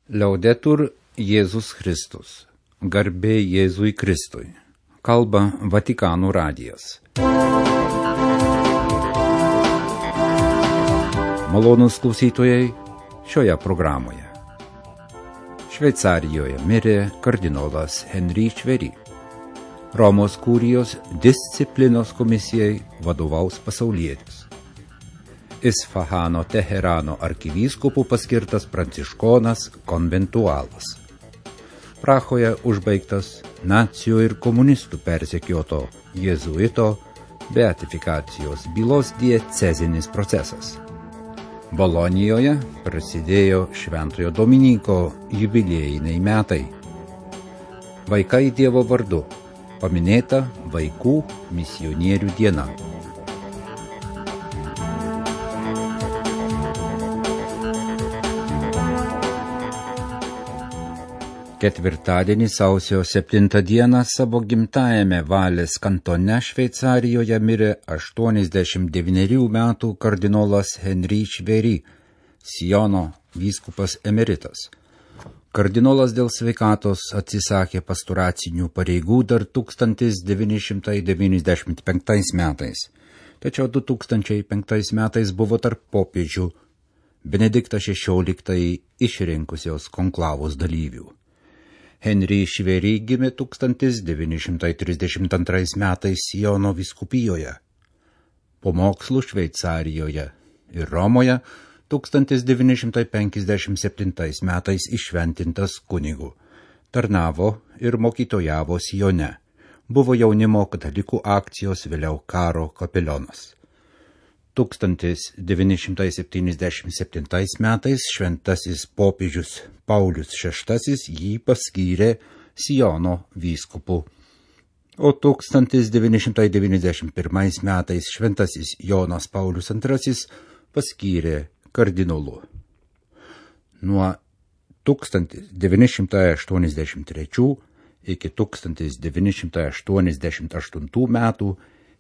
Liaudetur Jėzus Kristus. Garbė Jėzui Kristui. Kalba Vatikano radijas. Malonūs klausytojai šioje programoje. Šveicarijoje mirė kardinolas Henri Šveri. Romos kurijos disciplinos komisijai vadovaus pasaulietis. Isfahano Teherano arkivyskupu paskirtas pranciškonas konventualas. Prahoje užbaigtas nacijų ir komunistų persekioto jėzuito beatifikacijos bylos diecezinis procesas. Bolonijoje prasidėjo Šventojo Dominyko jubiliejiniai metai. Vaikai Dievo vardu. Paminėta vaikų misionierių diena. Ketvirtadienį sausio 7 dieną savo gimtajame Valės kantone Šveicarijoje mirė 89 metų kardinolas Henri Šveri, Siono vyskupas emeritas. Kardinolas dėl sveikatos atsisakė pastoracinių pareigų dar 1995 metais, tačiau 2005 metais buvo tarp popiežių Benediktą XVI išrinkusios konklavos dalyvių. Henri Šveri gimė 1932 metais Siono vyskupijoje. Po mokslų Šveicarijoje ir Romoje 1957 metais iššventintas kunigu. Tarnavo ir mokytojavo Sione. Buvo jaunimo katalikų akcijos, vėliau karo kapelionas. 1977 metais šventasis popiežius Paulius VI jį paskyrė Siono vyskupu, o 1991 metais šventasis Jonas Paulius II paskyrė kardinolu. Nuo 1983 iki 1988 metų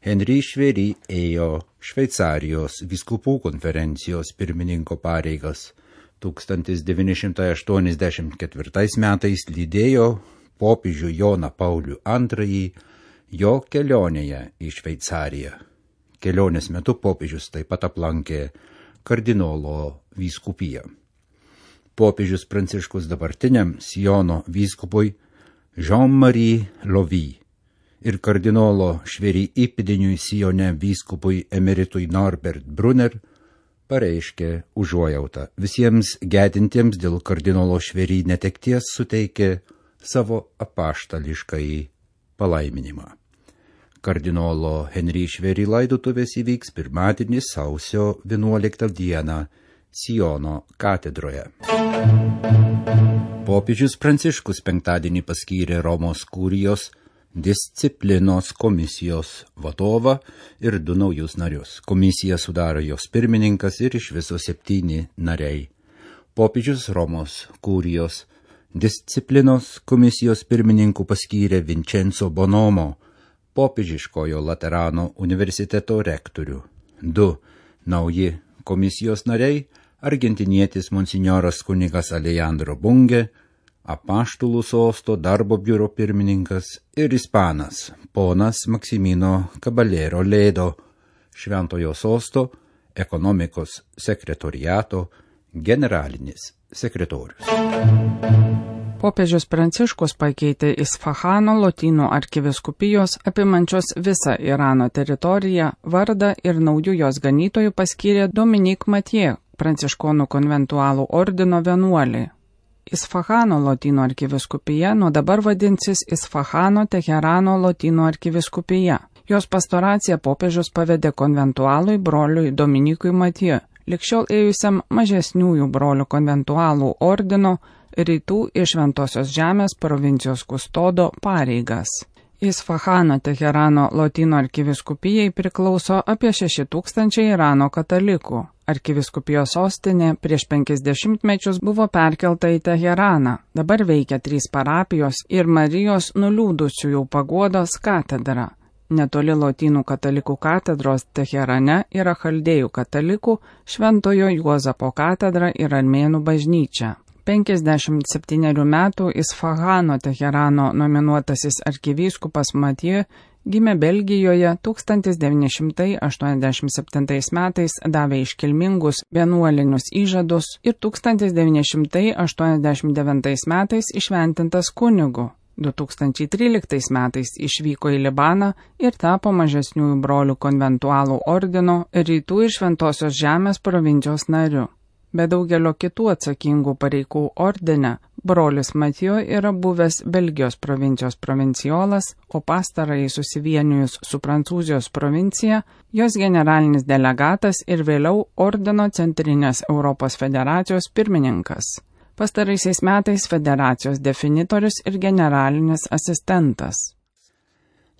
Henri Šveri ėjo Šveicarijos vyskupų konferencijos pirmininko pareigas. 1984 metais lydėjo popiežių Joną Paulių II jo kelionėje į Šveicariją. Kelionės metu popiežius taip pat aplankė kardinolo vyskupiją. Popiežius Pranciškus dabartiniam Siono vyskupui Jean-Marie Lovy ir kardinolo Šveri įpėdiniui Sione vyskupui emeritui Norbert Brunner pareiškė užuojautą. Visiems gedintiems dėl kardinolo Šveri netekties suteikė savo apaštališkąjį palaiminimą. Kardinolo Henri Šveri laidotuvės įvyks pirmadienį sausio 11 dieną Siono katedroje. Popiežius Pranciškus penktadienį paskyrė Romos kurijos disciplinos komisijos vadovą ir 2 naujus narius. Komisiją sudaro jos pirmininkas ir iš viso 7 nariai. Popiežius Romos kurijos disciplinos komisijos pirmininku paskyrė Vincenzo Bonomo, popiežiškojo Laterano universiteto rektorių. 2 nauji komisijos nariai – argentinietis monsinjoras kunigas Alejandro Bunge, apaštulų sosto darbo biuro pirmininkas ir ispanas ponas Maksimino Caballero Ledo, Šventojo sosto ekonomikos sekretoriato generalinis sekretorius. Popiežius Pranciškus pakeitė Isfahano Lotynų arkivyskupijos apimančios visą Irano teritoriją vardą ir naujų jos ganytojų paskyrė Dominik Mathieu, pranciškonų konventualų ordino vienuolį. Isfahano Lotynų arkivyskupija nuo dabar vadinsis Isfahano Teherano Lotynų arkivyskupija. Jos pastoraciją popiežius pavedė konventualui broliui Dominikui Mathieu, ligšiol ėjusiam mažesniųjų brolių konventualų ordino rytų iš Šventosios žemės provincijos kustodo pareigas. Isfahano Teherano Lotynų arkivyskupijai priklauso apie 6000 Irano katalikų. Arkivyskupijos sostinė prieš 50 mečius buvo perkelta į Teheraną. Dabar veikia 3 parapijos ir Marijos nuliūdusiųjų paguodos katedra. Netoli Lotynų katalikų katedros Teherane yra chaldėjų katalikų Šventojo Juozapo katedra ir armėnų bažnyčia. 57 metų Isfahano Teherano nominuotasis arkivyskupas Mathieu gimė Belgijoje 1987 metais, davė iškilmingus vienuolinius įžadus ir 1989 metais išventintas kunigu. 2013 metais išvyko į Libaną ir tapo mažesniųjų brolių konventualų ordino Rytų ir Šventosios Žemės provincijos nariu. Be daugelio kitų atsakingų pareigų ordine, brolis Mathieu yra buvęs Belgijos provincijos provinciolas, o pastarąjį susivienijus su Prancūzijos provincija, jos generalinis delegatas ir vėliau ordino Centrinės Europos federacijos pirmininkas. Pastaraisiais metais federacijos definitorius ir generalinis asistentas.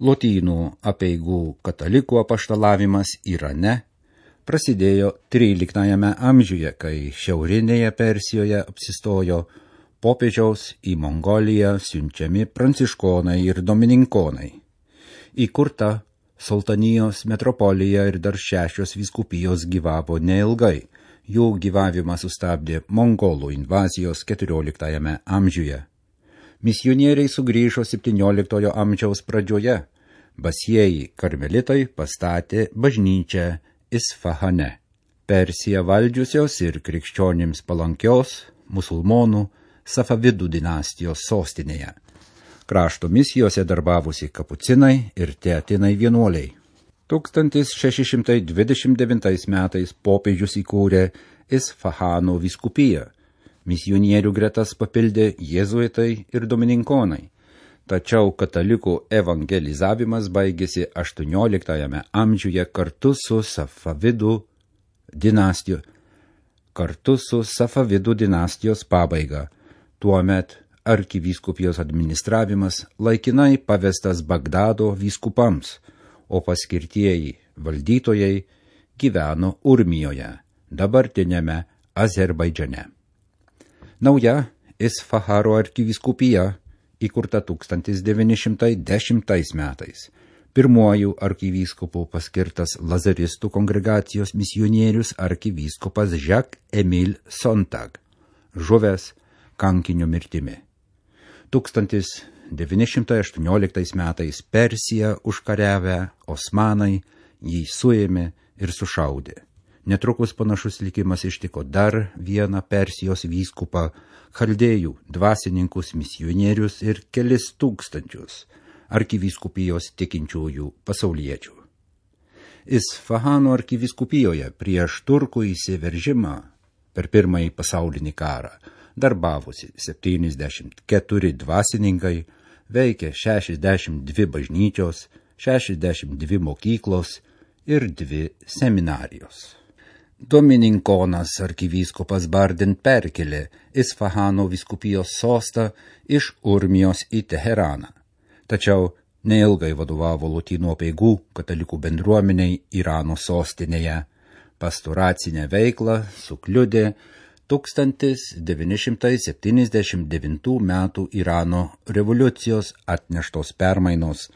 Lotynų apeigų katalikų apaštalavimas Irane prasidėjo 13 amžiuje, kai šiaurinėje Persijoje apsistojo popiežiaus į Mongoliją siunčiami pranciškonai ir domininkonai. Įkurta Sultanijos metropolija ir dar 6 vyskupijos gyvavo neilgai. Jų gyvavimą sustabdė mongolų invazijos 14 amžiuje. Misionieriai sugrįžo 17 amžiaus pradžioje. Basieji karmelitai pastatė bažnyčią Isfahane. Persiją valdžiusios ir krikščionims palankios musulmonų Safavidų dinastijos sostinėje. Krašto misijose darbavusi kapucinai ir teatinai vienuoliai. 1629 metais popiežius įkūrė Isfahano vyskupiją. Misionierių gretas papildė jėzuitai ir domininkonai. Tačiau katalikų evangelizavimas baigėsi 18 amžiuje kartu su Safavidų dinastijos pabaiga. Tuomet arkivyskupijos administravimas laikinai pavestas Bagdado vyskupams, o paskirtieji valdytojai gyveno Urmijoje, dabartinėme Azerbaidžane. Nauja Isfahano arkivyskupija įkurta 1910 metais. Pirmuoju arkivyskupu paskirtas Lazaristų kongregacijos misionierius arkivyskupas Jacques-Émile Sontag, žuvęs kankinio mirtimi. 1918 metais Persiją užkariavę osmanai jį suėmė ir sušaudė. Netrukus panašus likimas ištiko dar vieną Persijos vyskupą, chaldėjų dvasininkus, misionierius ir kelis tūkstančius arkivyskupijos tikinčiųjų pasauliečių. Isfahano arkivyskupijoje prieš turkų įsiveržimą per Pirmąjį pasaulinį karą darbavosi 74 dvasininkai, veikė 62 bažnyčios, 62 mokyklos ir 2 seminarijos. Domininkonas arkivyskupas Bardin perkelė Isfahano vyskupijos sostą iš Urmijos į Teheraną. Tačiau neilgai vadovavo lotynų apeigų katalikų bendruomeniai Irano sostinėje. Pastoracinę veiklą sukliudė 1979 metų Irano revoliucijos atneštos permainos.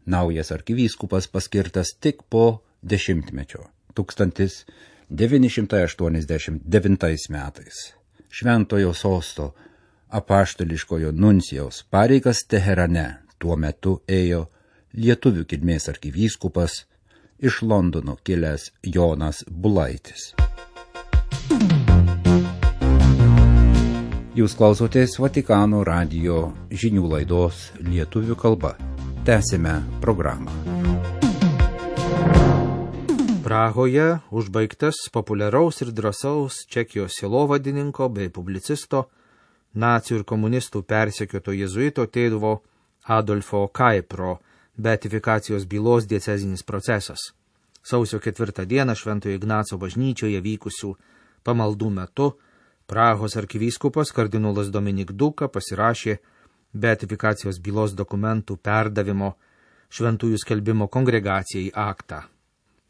Naujas arkivyskupas paskirtas tik po 10-mečio. 1989 metais. Šventojo sosto apaštališkojo nuncijaus pareigas Teherane tuo metu ėjo lietuvių kilmės arkivyskupas iš Londono kilęs Jonas Bulaitis. Jūs klausotės Vatikano radijo žinių laidos lietuvių kalba. Tęsime programą. Prahoje užbaigtas populiaraus ir drąsaus Čekijos sielovadininko bei publicisto, nacių ir komunistų persekioto jėzuito tėvo Adolfo Kaipro beatifikacijos bylos diecezinis procesas. Sausio 4 dieną Šventojo Ignaco bažnyčioje vykusių pamaldų metu Prahos arkivyskupas kardinolas Dominik Duka pasirašė beatifikacijos bylos dokumentų perdavimo šventųjų skelbimo kongregacijai aktą.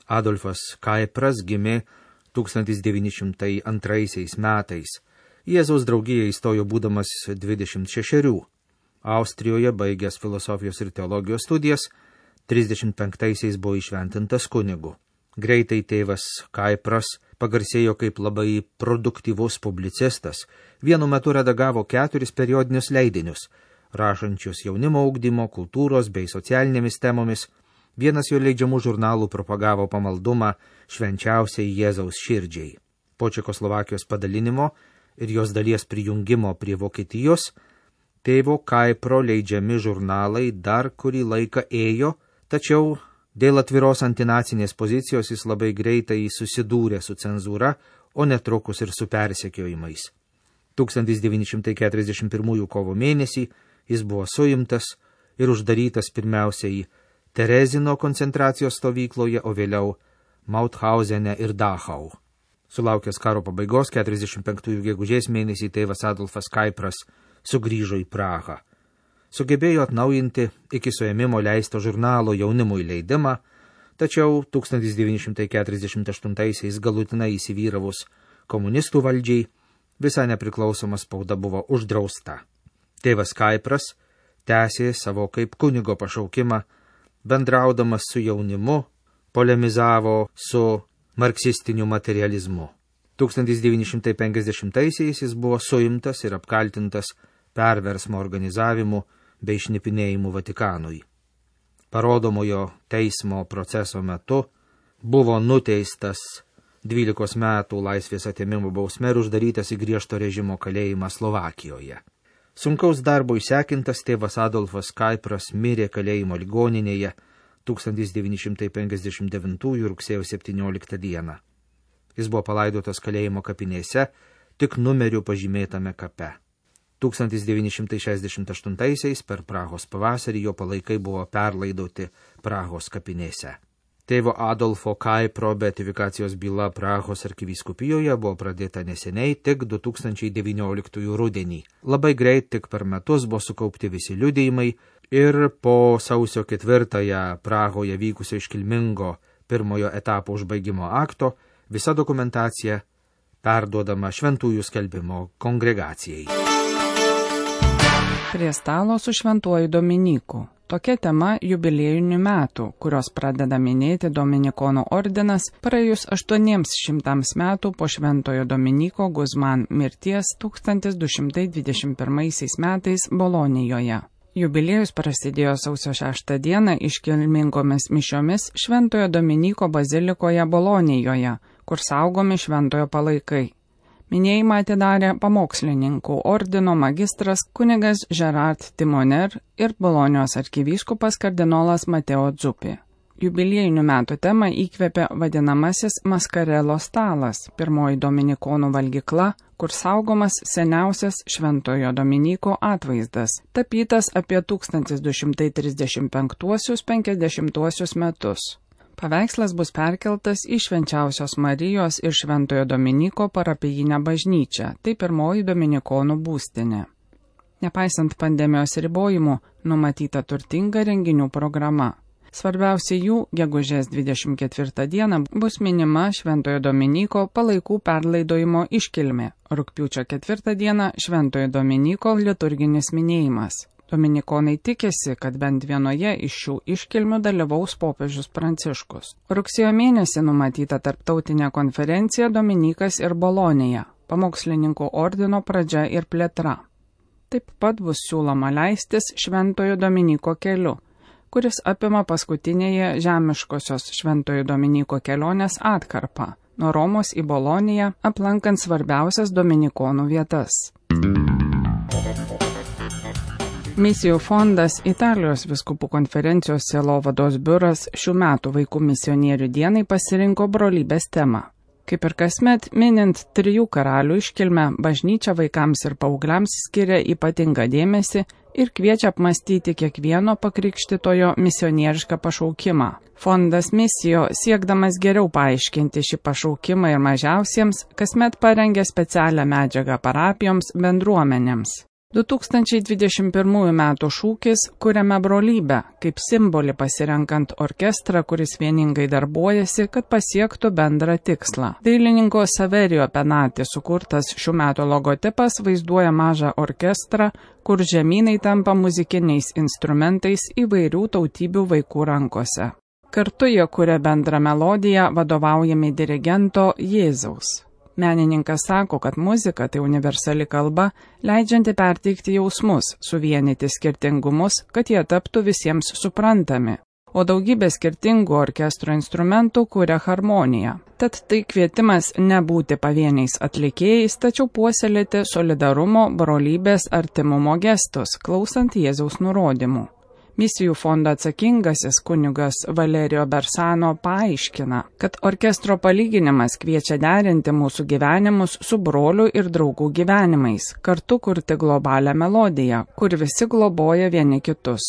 Adolfas Kaipras gimė 1902 metais. Jėzaus draugija įstojo būdamas 26. Austrijoje baigęs filosofijos ir teologijos studijas, 35 buvo įšventintas kunigu. Greitai tėvas Kaipras pagarsėjo kaip labai produktyvus publicistas. Vienu metu redagavo 4 periodinius leidinius, rašančius jaunimo ugdymo, kultūros bei socialinėmis temomis. Vienas jo leidžiamų žurnalų propagavo pamaldumą švenčiausiai Jėzaus širdžiai. Po Čekoslovakijos padalinimo ir jos dalies prijungimo prie Vokietijos, tėvo Kaipro leidžiami žurnalai dar kurį laiką ėjo, tačiau dėl atviros antinacinės pozicijos jis labai greitai susidūrė su cenzūra, o netrukus ir su persekiojimais. 1941 kovo mėnesį jis buvo suimtas ir uždarytas pirmiausiai Terezino koncentracijos stovykloje, o vėliau Mauthausene ir Dachau. Sulaukęs karo pabaigos 45 gegužės mėnesį tėvas Adolfas Kaipras sugrįžo į Prahą. Sugebėjo atnaujinti iki suėmimo leisto žurnalo jaunimui leidimą, tačiau 1948 galutinai įsivyravus komunistų valdžiai visa nepriklausoma spauda buvo uždrausta. Tėvas Kaipras tęsė savo kaip kunigo pašaukimą, bendraudamas su jaunimu, polemizavo su marksistiniu materializmu. 1950-aisiais jis buvo suimtas ir apkaltintas perversmo organizavimu bei šnipinėjimu Vatikanui. Parodomojo teismo proceso metu buvo nuteistas 12 metų laisvės atėmimo bausme ir uždarytas į griežto režimo kalėjimą Slovakijoje. Sunkaus darbo išsekintas tėvas Adolfas Kaipras mirė kalėjimo ligoninėje 1959 rugsėjo 17 dieną. Jis buvo palaidotas kalėjimo kapinėse, tik numeriu pažymėtame kape. 1968 per Prahos pavasarį jo palaikai buvo perlaidoti Prahos kapinėse. Tėvo Adolfo Kaipro beatifikacijos byla Prahos arkivyskupijoje buvo pradėta neseniai, tik 2019 rudenį. Labai greit, tik per metus buvo sukaupti visi liudijimai ir po sausio 4 Prahoje vykusio iškilmingo pirmojo etapo užbaigimo akto visa dokumentacija perduodama Šventųjų skelbimo kongregacijai. Prie stalo su Šventuoju Dominiku. Tokia tema jubiliejinių metų, kurios pradeda minėti Dominikonų ordinas praėjus 800 metų po Šventojo Dominiko Guzman mirties 1221 metais Bolonijoje. Jubiliejus prasidėjo sausio 6 dieną iškilmingomis mišiomis Šventojo Dominiko bazilikoje Bolonijoje, kur saugomi šventojo palaikai. Minėjimą atidarė pamokslininkų ordino magistras kunigas Gerard Timoner ir Bolonijos arkivyskupas kardinolas Mateo Zuppi. Jubiliejinių metų temą įkvėpė vadinamasis Maskarelo stalas, pirmoji dominikonų valgykla, kur saugomas seniausias Šventojo Dominiko atvaizdas, tapytas apie 1235–50 metus. Paveikslas bus perkeltas į Švenčiausios Marijos ir Šventojo Dominiko parapijinę bažnyčią, tai pirmoji dominikonų būstinė. Nepaisant pandemijos ribojimų, numatyta turtinga renginių programa. Svarbiausia jų gegužės 24 dieną bus minima Šventojo Dominiko palaikų perlaidojimo iškilmė, rugpjūčio 4 dieną Šventojo Dominiko liturginis minėjimas. Dominikonai tikisi, kad bent vienoje iš šių iškilmių dalyvaus popiežius Pranciškus. Rugsėjo mėnesį numatyta tarptautinė konferencija Dominikas ir Bolonija, pamokslininkų ordino pradžia ir plėtra. Taip pat bus siūloma leistis Šventojo Dominiko keliu, kuris apima paskutinėje žemiškosios Šventojo Dominiko kelionės atkarpą, nuo Romos į Boloniją, aplankant svarbiausias dominikonų vietas. Misijų fondas Italijos vyskupų konferencijos sielovados biuras šių metų vaikų misionierių dienai pasirinko brolybės temą. Kaip ir kasmet, minint 3 karalių iškilmę, bažnyčia vaikams ir paaugliams skiria ypatingą dėmesį ir kviečia apmastyti kiekvieno pakrikštytojo misionierišką pašaukimą. Fondas Misijo, siekdamas geriau paaiškinti šį pašaukimą ir mažiausiems, kasmet parengia specialią medžiagą parapijoms bendruomenėms. 2021 metų šūkis "Kuriame brolybę", kaip simbolį pasirenkant orkestrą, kuris vieningai darbuojasi, kad pasiektų bendrą tikslą. Dailininko Saverio Penati sukurtas šių metų logotipas vaizduoja mažą orkestrą, kur žemynai tampa muzikiniais instrumentais įvairių tautybių vaikų rankose. Kartu jie kuria bendrą melodiją vadovaujami dirigento Jėzaus. Menininkas sako, kad muzika tai universali kalba, leidžianti perteikti jausmus, suvienyti skirtingumus, kad jie taptų visiems suprantami. O daugybė skirtingų orkestro instrumentų kuria harmoniją. Tad tai kvietimas nebūti pavieniais atlikėjais, tačiau puoselėti solidarumo, brolybės, artimumo gestus, klausant Jėzaus nurodymų. Misijų fondo atsakingasis kunigas Valerio Bersano paaiškina, kad orkestro palyginimas kviečia derinti mūsų gyvenimus su brolių ir draugų gyvenimais, kartu kurti globalią melodiją, kur visi globoja vieni kitus.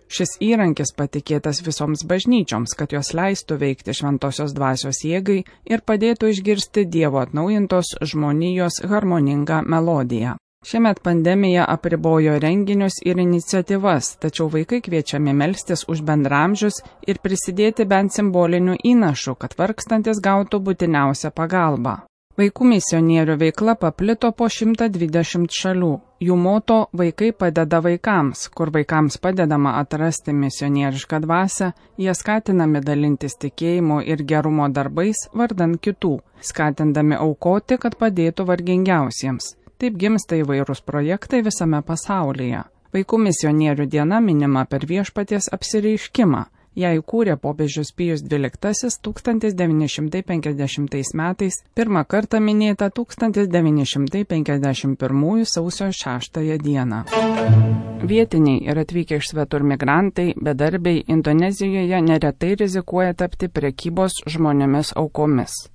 Šis įrankis patikėtas visoms bažnyčioms, kad jos leistų veikti šventosios dvasios jėgai ir padėtų išgirsti Dievo atnaujintos žmonijos harmoningą melodiją. Šiemet pandemija apribojo renginius ir iniciatyvas, tačiau vaikai kviečiami melstis už bendramžius ir prisidėti bent simboliniu įnašu, kad vargstantis gautų būtiniausią pagalbą. Vaikų misionierių veikla paplito po 120 šalių. Jų moto Vaikai padeda vaikams, kur vaikams padedama atrasti misionierišką dvasią, jie skatinami dalintis tikėjimu ir gerumo darbais vardan kitų, skatindami aukoti, kad padėtų vargingiausiems. Taip gimsta įvairūs projektai visame pasaulyje. Vaikų misionierių diena minima per Viešpaties apsireiškimą. Ją įkūrė popiežius Pijus XII 1950 metais, pirmą kartą minėta 1951 sausio 6 dieną. Vietiniai ir atvykę iš svetur migrantai, bedarbiai Indonezijoje neretai rizikuoja tapti prekybos žmonėmis aukomis.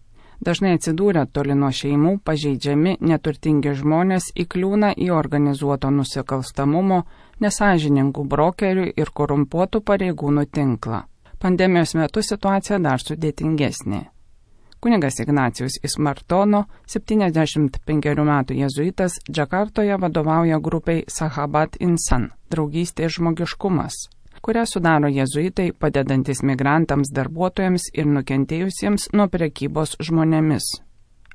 Dažnai atsidūrę toli nuo šeimų, pažeidžiami, neturtingi žmonės įkliūna į organizuoto nusikalstamumo, nesąžiningų brokerių ir korumpuotų pareigūnų tinklą. Pandemijos metu situacija dar sudėtingesnė. Kunigas Ignacijus Ismartono, 75 metų jėzuitas, Džakartoje vadovauja grupiai Sahabat Insan – draugystė ir žmogiškumas, kurią sudaro jėzuitai, padedantis migrantams, darbuotojams ir nukentėjusiems nuo prekybos žmonėmis.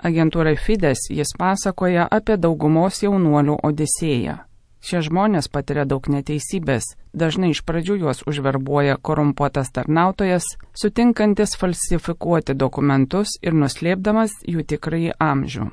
Agentūrai Fides jis pasakoja apie daugumos jaunuolių odisėją. Šie žmonės patiria daug neteisybės, dažnai iš pradžių juos užverbuoja korumpuotas tarnautojas, sutinkantis falsifikuoti dokumentus ir nuslėpdamas jų tikrąjį amžių.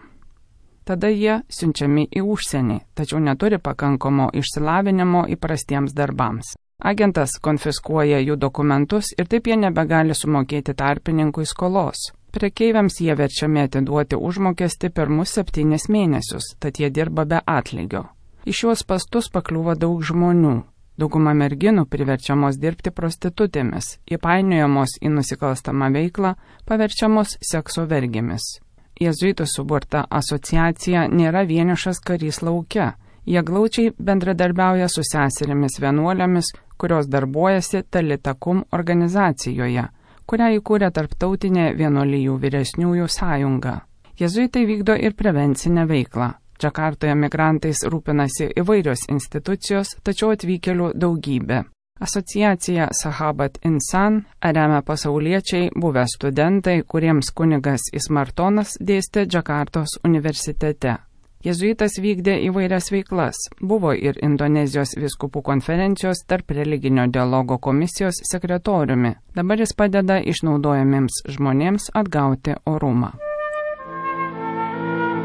Tada jie siunčiami į užsienį, tačiau neturi pakankamo išsilavinimo įprastiems darbams. Agentas konfiskuoja jų dokumentus ir taip jie nebegali sumokėti tarpininkui skolos. Prekeiviams jie verčiami atiduoti užmokestį pirmus 7 mėnesius, tad jie dirba be atlygio. Į šiuos pastus pakliūva daug žmonių. Dauguma merginų priverčiamos dirbti prostitutėmis, įpainiojamos į nusikalstamą veiklą, paverčiamos sekso vergėmis. Jėzuitų suburta asociacija nėra vienišas karys lauke. Jie glaučiai bendradarbiauja su seserimis vienuolėmis, kurios darbuojasi Talitakum organizacijoje, kurią įkūrė Tarptautinė vienuolijų vyresniųjų sąjunga. Jėzuitai vykdo ir prevencinę veiklą. Džakartoje migrantais rūpinasi įvairios institucijos, tačiau atvykėlių daugybė. Asociacija Sahabat Insan remia pasauliečiai, buvę studentai, kuriems kunigas Ismartonas dėstė Džakartos universitete. Jėzuitas vykdė įvairias veiklas, buvo ir Indonezijos vyskupų konferencijos tarp religinio dialogo komisijos sekretoriumi. Dabar jis padeda išnaudojamiems žmonėms atgauti orumą.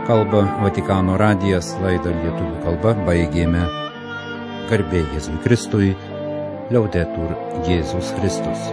Kalba Vatikano radijas, laidą lietuvių kalba baigėme. Garbė Jėzui Kristui, Liaudetur Jėzus Kristus.